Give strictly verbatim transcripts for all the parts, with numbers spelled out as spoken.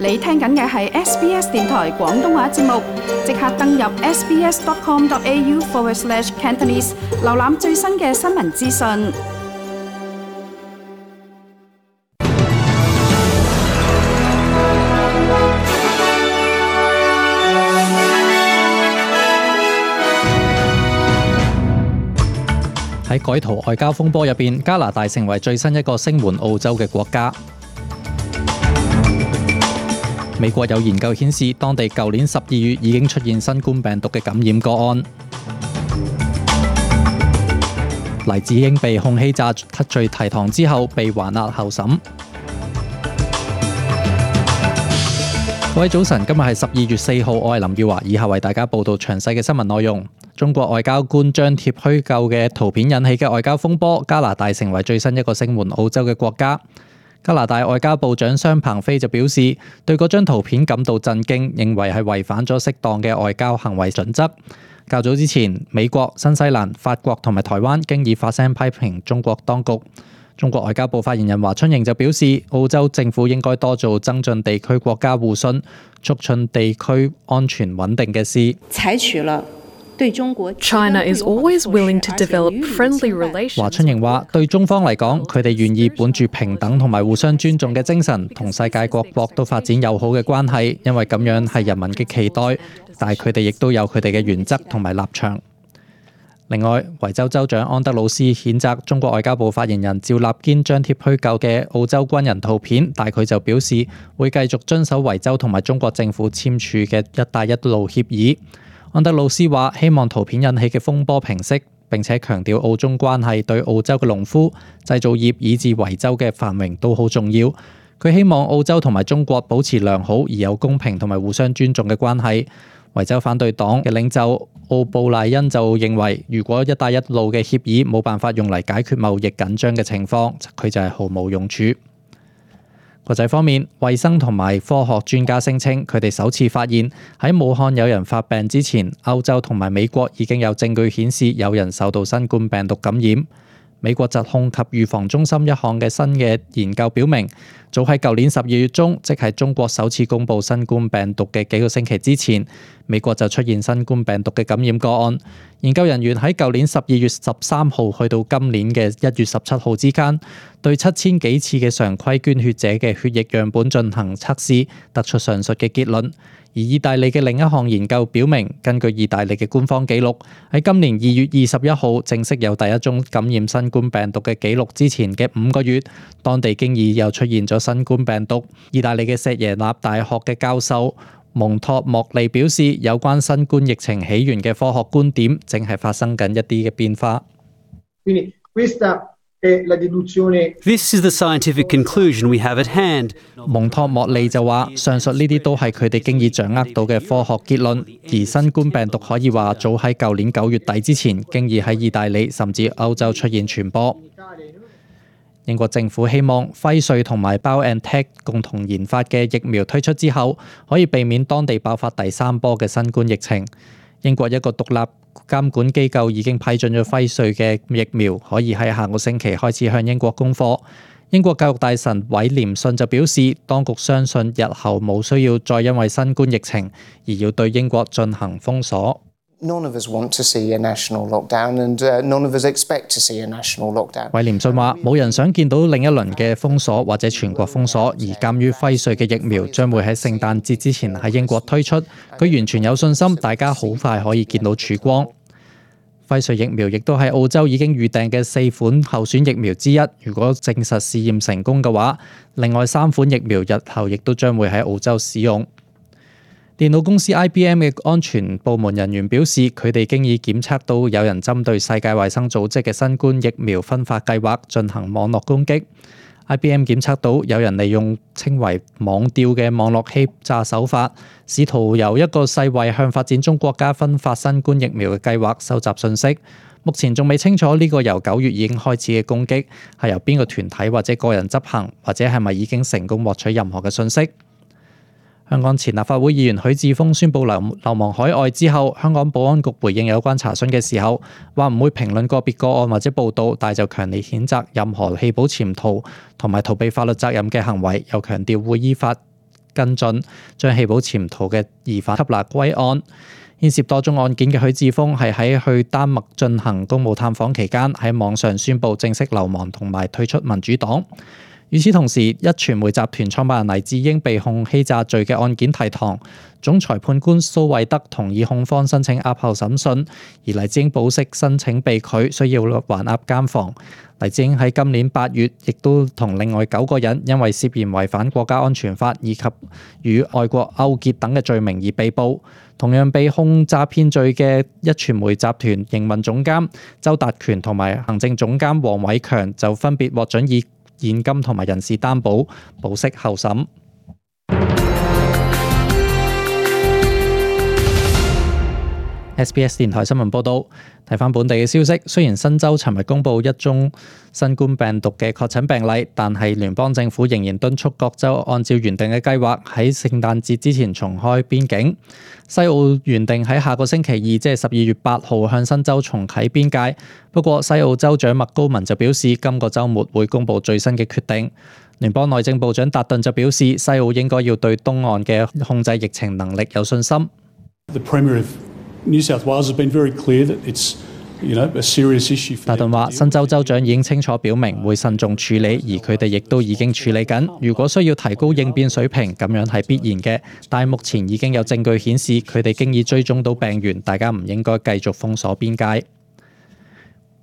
你聽緊嘅係 S B S 電台廣東話節目，即刻登入 sbs.com.au forward slash Cantonese， 瀏覽最新嘅新聞資訊。喺改圖外交風波入邊，加拿大成為最新一個聲援澳洲嘅國家。美國有研究顯示，當地舊年十二月已經出現新冠病毒嘅感染個案。黎智英被控欺詐罪提堂之後，被還押候審。各位早晨，今日係十二月四號，我係林耀華，以下為大家報道詳細嘅新聞內容。中國外交官張貼虛構嘅圖片引起嘅外交風波，加拿大成為最新一個聲援澳洲嘅國家。加拿大外交部長商鵬飛就表示，對嗰張圖片感到震驚，認為係違反咗適當嘅外交行為準則。較早之前，美國、新西蘭、法國同埋台灣經已發聲批評中國當局。中國外交部發言人華春瑩就表示，澳洲政府應該多做增進地區國家互信、促進地區安全穩定嘅事。採取了對中國 China is always willing to develop friendly relations。華春瑩話：對中方嚟講，佢哋願意本住平等同埋互相尊重嘅精神，同世界各國都發展友好嘅關係，因為咁樣係人民嘅期待。但係佢哋亦都有佢哋嘅原則同埋立場。另外，維州州長安德魯斯譴責中國外交部發言人趙立堅張貼虛構嘅澳洲軍人圖片，但佢就表示會繼續遵守維州同埋中國政府簽署嘅一帶一路協議。安德魯斯話：希望圖片引起嘅風波平息，並且強調澳中關係對澳洲嘅農夫、製造業以至維州嘅繁榮都好重要。佢希望澳洲同埋中國保持良好而有公平同埋互相尊重嘅關係。維州反對黨嘅領袖奧布賴恩就認為，如果一帶一路嘅協議冇辦法用嚟解決貿易緊張嘅情況，佢就係毫無用處。國際方面，衛生同埋科學專家聲稱，佢哋首次發現喺武漢有人發病之前，歐洲同埋美國已經有證據顯示有人受到新冠病毒感染。美國疾控及預防中心一項嘅新嘅研究表明，早喺舊年十二月中，即係中國首次公布新冠病毒嘅幾個星期之前，美國就出現新冠病毒嘅感染個案。研究人員喺舊年十二月十三號去到今年嘅一月十七號之間，對七千幾次嘅常規捐血者嘅血液樣本進行測試，得出上述嘅結論。而意大利嘅另一項研究表明，根據意大利嘅官方記錄，喺今年二月二十一號正式有第一宗感染新冠病毒嘅記錄之前嘅五個月，當地經已又出現咗新冠病毒。意大利嘅錫耶納大學嘅教授蒙托莫利表示，有關新冠疫情起源嘅科學觀點正係發生緊一啲嘅變化。This is the scientific conclusion we have at hand. 蒙托莫利就話，上述呢啲都係佢哋經已掌握到嘅科學結論，而新冠病毒可以話早喺舊年九月底之前，經已喺意大利甚至歐洲出現傳播。英國政府希望輝瑞同埋 BioNTech 共同研發嘅疫苗推出之後，可以避免當地爆發第三波嘅新冠疫情。英國一個獨立監管機構已經批准咗輝瑞嘅疫苗，可以喺下個星期開始向英國供貨。英國教育大臣韋廉遜就表示，當局相信日後冇需要再因為新冠疫情而要對英國進行封鎖。None of us want to see a national lockdown, and none of us expect to see a national lockdown. 韋廉遜話：冇人想見到另一輪嘅封鎖或者全國封鎖，而鑑於輝瑞嘅疫苗將會喺聖誕節之前喺英國推出，佢完全有信心大家好快可以見到曙光。輝瑞疫苗亦都係澳洲已經預訂嘅四款候選疫苗之一，如果證實試驗成功嘅話，另外三款疫苗日後亦都將會喺澳洲使用。電腦公司 I B M 嘅安全部門人員表示，佢哋經已檢測到有人針對世界衛生組織嘅新冠疫苗分發計劃進行網絡攻擊。I B M 檢測到有人利用稱為網釣嘅網絡欺詐手法，試圖由一個世衛向發展中國家分發新冠疫苗嘅計劃收集信息。目前仲未清楚呢個由九月已經開始嘅攻擊係由邊個團體或者個人執行，或者係咪已經成功獲取任何嘅信息。香港前立法會議員許智峰宣布流流亡海外之後，香港保安局回應有關查詢嘅時候，話唔會評論個別個案或者報道，但就強烈譴責任何棄保潛逃同埋逃避法律責任嘅行為，又強調會依法跟進，將棄保潛逃嘅疑犯緝拿歸案。牽涉多宗案件嘅許智峰係喺去丹麥進行公務探訪期間，喺網上宣布正式流亡同埋退出民主黨。與此同時，壹傳媒集團創辦人黎智英被控欺詐罪嘅案件提堂，總裁判官蘇惠德同意控方申請押後審訊，而黎智英保釋申請被拒，需要還押監房。黎智英喺今年八月亦都同另外九個人因為涉嫌違反國家安全法以及與外國勾結等嘅罪名而被捕。同樣被控詐騙罪嘅壹傳媒集團營運總監周達權同埋行政總監黃偉強就分別獲准以現金同埋人事擔保保釋候審。S B S 電台新聞報導，睇返本地嘅消息，雖然新州尋日公布一宗新冠病毒嘅確診病例，但係聯邦政府仍然敦促各州按照原定嘅計劃喺聖誕節之前重開邊境。西澳原定喺下個星期二，即係十二月八號向新州重啟邊界，不過西澳州長麥高文就表示，今個週末會公布最新嘅決定。聯邦內政部長達頓就表示，西澳應該要對東岸嘅控制疫情能力有信心。The Premier of New South Wales has been very clear that it's, you know, a serious issue. 達頓話：新州州長已經清楚表明會慎重處理，而佢哋亦都已經處理緊。如果需要提高應變水平，咁樣係必然嘅。但係目前已經有證據顯示佢哋經已追蹤到病源，大家唔應該繼續封鎖邊界。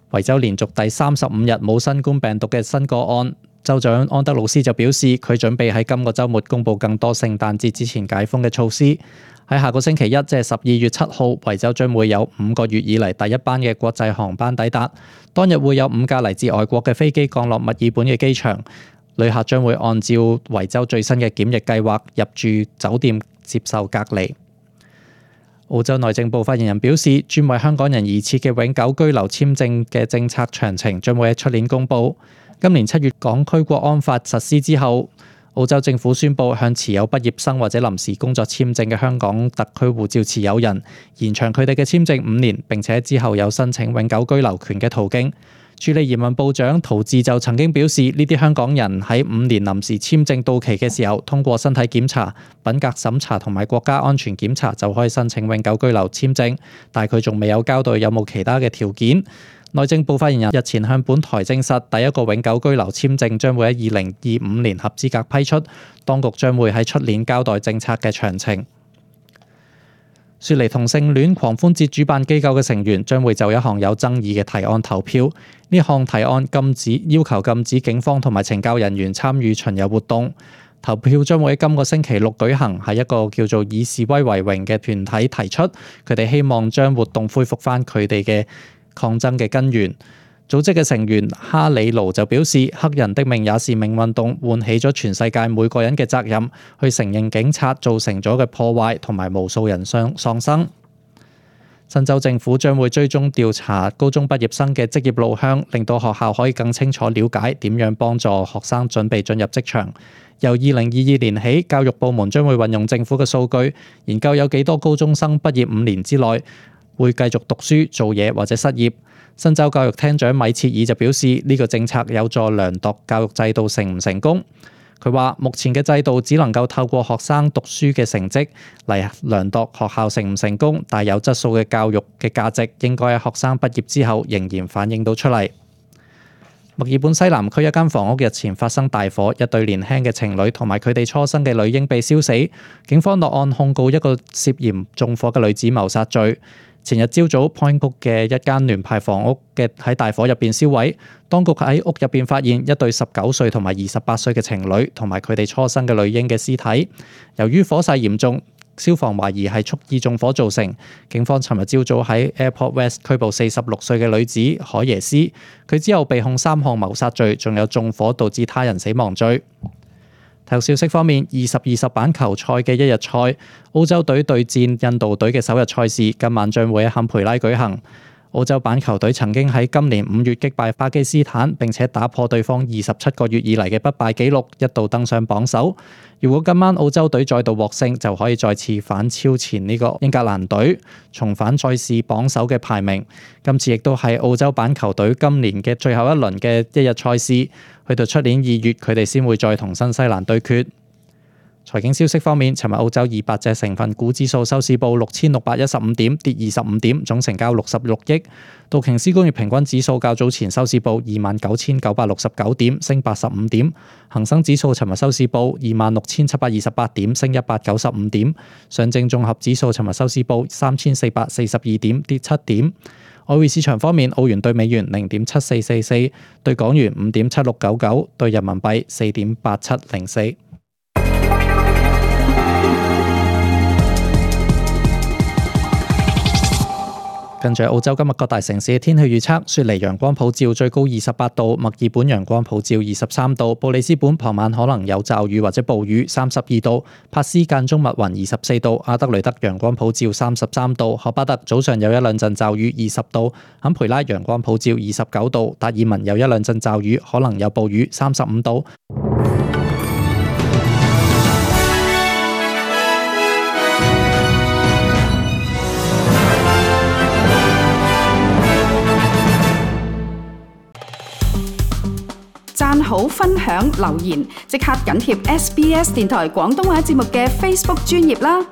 維州連續第三十五日冇新冠病毒嘅新個案。州長安德魯斯就表示，佢準備喺今個週末公布更多聖誕節之前解封嘅措施。喺下個星期一，即係十二月七號，維州將會有五個月以嚟第一班嘅國際航班抵達。當日會有五架嚟自外國嘅飛機降落墨爾本嘅機場，旅客將會按照維州最新嘅檢疫計劃入住酒店接受隔離。澳洲內政部發言人表示，專為香港人而設嘅永久居留簽證嘅政策詳情將會喺出年公佈。今年七月港區國安法實施之後，澳洲政府宣布向持有畢業生或者臨時工作簽證嘅香港特區護照持有人延長佢哋嘅簽證五年，並且之後有申請永久居留權嘅途徑。處理移民部長陶治就曾經表示，呢啲香港人喺五年臨時簽證到期嘅時候，通過身體檢查、品格審查同埋國家安全檢查就可以申請永久居留簽證，但係佢仲未有交代有冇其他嘅條件。內政部發言人日前向本台證實，第一個永久居留簽證將會喺二零二五年合資格批出，當局將會喺出年交代政策嘅詳情。雪梨同性戀狂歡節主辦機構嘅成員將會就一項有爭議嘅提案投票，呢項提案禁止要求禁止警方同埋懲教人員參與巡遊活動。投票將會喺今個星期六舉行，係一個叫做以示威為榮嘅團體提出，佢哋希望將活動恢復返佢哋嘅抗爭嘅根源。組織嘅成員哈里盧就表示，黑人的命也是命運動喚起咗全世界每個人嘅責任，去承認警察造成咗嘅破壞同埋無數人傷喪生。新州政府將會追蹤調查高中畢業生嘅職業路向，令到學校可以更清楚了解點樣幫助學生準備進入職場。由二零二二年起，教育部門將會運用政府嘅數據，研究有幾多高中生畢業五年之內會繼續讀書、做嘢或者失業。新州教育廳長米切爾就表示，呢、這個政策有助量度教育制度成唔成功。佢話：目前嘅制度只能夠透過學生讀書嘅成績嚟量度學校成唔成功，但有質素嘅教育嘅價值應該喺學生畢業之後仍然反映到出嚟。墨爾本西南區一間房屋日前發生大火，一對年輕嘅情侶同埋佢哋初生嘅女嬰被燒死。警方落案控告一個涉嫌縱火嘅女子謀殺罪。前日朝早 ，Point Cook 嘅一間聯排房屋嘅喺大火入邊燒毀，當局喺屋入邊發現一對十九歲同埋二十八歲嘅情侶同埋佢哋初生嘅女嬰嘅屍體。由於火勢嚴重，消防懷疑係蓄意縱火造成。警方尋日朝早喺 Airport West 拘捕四十六歲嘅女子海耶斯，佢之後被控三項謀殺罪，仲有縱火導致他人死亡罪。體育消息方面，二十二十板球賽嘅一日賽，澳洲隊對戰印度隊嘅首日賽事，今晚將會喺坎培拉舉行。澳洲板球隊曾經喺今年五月擊敗巴基斯坦，並且打破對方二十七個月以嚟嘅不敗紀錄，一度登上榜首。如果今晚澳洲隊再度獲勝，就可以再次反超前呢個英格蘭隊，重返賽事榜首嘅排名。今次亦都係澳洲板球隊今年嘅最後一輪嘅一日賽事，去到出年二月佢哋先會再同新西蘭對決。財經消息方面，尋日澳洲二百隻成分股指數收市報六千六百一十五點，跌二十五點，總成交六十六億。道瓊斯工業平均指數較早前收市報二萬九千九百六十九點，升八十五點。恒生指數尋日收市報二萬六千七百二十八點，升一百九十五點。上證綜合指數尋日收市報三千四百四十二點，跌七點。外匯市場方面，澳元對美元零點七四四四，對港元五點七六九九，對人民幣四點八七零四。跟住澳洲今日各大城市嘅天氣預測：雪梨陽光普照，最高二十八度；墨爾本陽光普照，二十三度；布里斯本傍晚可能有驟雨或者暴雨，三十二度；珀斯間中密雲，二十四度；阿德雷德陽光普照，三十三度；荷巴特早上有一兩陣驟雨，二十度；坎培拉陽光普照，二十九度；達爾文有一兩陣驟雨，可能有暴雨，三十五度。讚好、分享、留言，即刻緊貼 S B S 電台廣東話節目嘅 Facebook 專頁啦！